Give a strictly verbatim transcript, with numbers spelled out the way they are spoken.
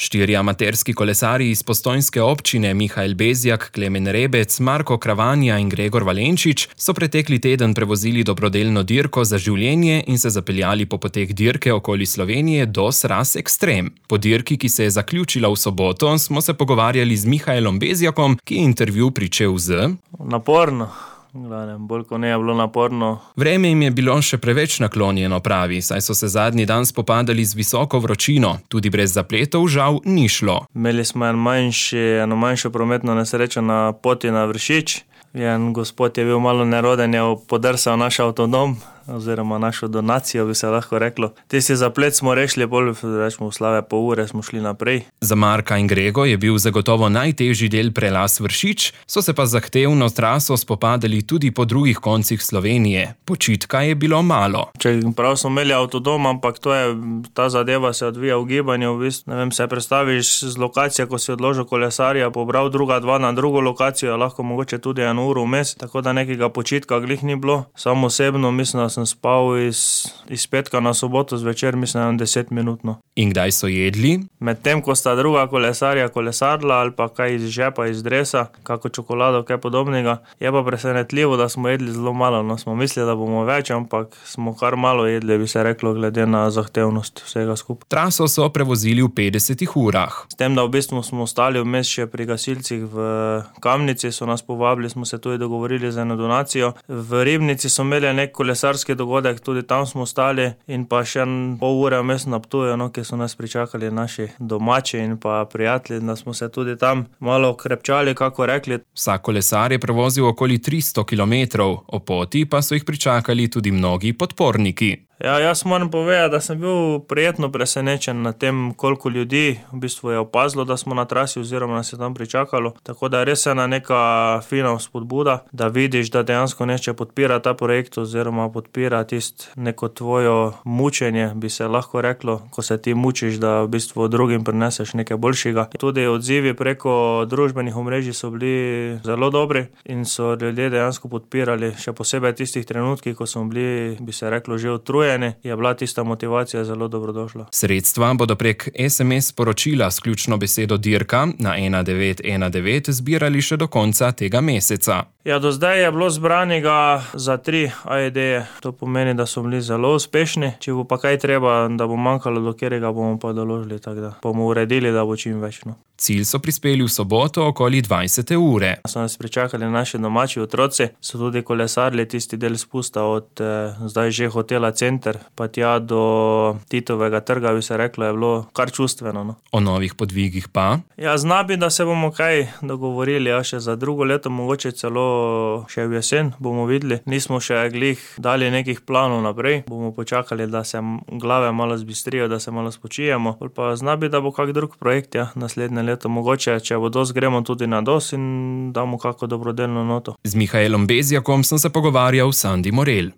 Štirje amaterski kolesarji iz postojnske občine Mihael Bezjak, Klemen Rebec, Marko Kravanja in Gregor Valenčič so pretekli teden prevozili dobrodelno dirko za življenje in se zapeljali po poteh dirke okoli Slovenije do Sraz Ekstrem. Po dirki, ki se je zaključila v soboto, smo se pogovarjali z Mihaelom Bezjakom, ki je intervju pričel z... Naporno. Bolj ko ne je bilo naporno. Vreme jim je bilo še preveč naklonjeno, pravi, saj so se zadnji dan spopadali z visoko vročino. Tudi brez zapletov žal ni šlo. Imeli smo en manjši, eno manjšo prometno nesrečo na poti na Vršič. En gospod je bil malo neroden, je podrsal naš avtodom, oziroma našo donacijo, bi se lahko reklo. Tisti zaplet smo rešili, bolj rečemo v slave pol ure smo šli naprej. Za Marka in Grego je bil zagotovo najtežji del prelaz Vršič, so se pa zahtevno traso spopadali tudi po drugih koncih Slovenije. Počitka je bilo malo. Če prav smo imeli avtodom, ampak to je, ta zadeva se odvija v gibanju, v bistvu, ne vem, se predstaviš z lokacije, ko si odložil kolesarja, pobral druga dva na drugo lokacijo, lahko mogoče tudi eno uro vmes, tako da nekega počitka glih ni bilo. Samo osebno mislim, da sem spal iz, iz petka na soboto zvečer, mislim, deset minutno. In kdaj so jedli? Medtem, ko sta druga kolesarja kolesarila ali pa kaj iz žepa, iz dresa, kako čokolado, kaj podobnega, je pa presenetljivo, da smo jedli zelo malo. No, smo mislili, da bomo več, ampak smo kar malo jedli, bi se reklo, glede na zahtevnost vsega skupaj. Traso so prevozili v petdesetih urah. S tem, da v bistvu smo ostali vmes še pri gasilcih v Kamnici, so nas povabili, smo se tudi dogovorili za eno donacijo. V Ribnici so imeli nek kolesarski dogodek, tudi tam smo ostali in pa še pol ure vmes na Ptuju, no, ki so nas pričakali naši domači in pa prijatelji, da smo se tudi tam malo krepčali, kako rekli. Vsak kolesar je prevozil okoli tristo kilometrov, o poti pa so jih pričakali tudi mnogi podporniki. Ja, jaz moram povedati, da sem bil prijetno presenečen na tem, koliko ljudi v bistvu je opazilo, da smo na trasi oziroma nas je tam pričakalo. Tako da je res ena neka fina spodbuda, da vidiš, da dejansko neče podpira ta projekt oziroma podpira tisto neko tvojo mučenje, bi se lahko reklo, ko se ti mučiš, da v bistvu drugim prineseš nekaj boljšega. Tudi odzivi preko družbenih omrežij so bili zelo dobri in so ljudje dejansko podpirali, še posebej tistih trenutkih, ko smo bili, bi se reklo, že utrujeni. Je bila tista motivacija zelo dobrodošla. Sredstva bodo prek es em es sporočila s ključno besedo dirka na ena devet ena devet zbirali še do konca tega meseca. Ja, do zdaj je bilo zbranega za tri A E D-je. To pomeni, da so bili zelo uspešni. Če bo pa kaj treba, da bo manjkalo, do katerega bomo pa doložili, tako da bomo uredili, da bo čim več. No. Cilj so prispeli v soboto okoli dvajsete ure. So nas pričakali naši domači otroci, so tudi kolesarili tisti del spusta od eh, zdaj že hotela Center, pa tja do Titovega trga, bi se reklo, je bilo kar čustveno. No. O novih podvigih pa? Ja, znabi, da se bomo kaj dogovorili, ja, še za drugo leto, mogoče celo še v jesen bomo videli. Nismo še glih dali nekih planov naprej, bomo počakali, da se glave malo zbistrijo, da se malo spočijemo. Pa znabi, da bo kak drug projekt, ja, naslednje leto. Mogoče, če bo dos, gremo tudi na dos in damo kako dobrodelno noto. Z Mihaelom Bezjakom sem se pogovarjal Sandi Morel.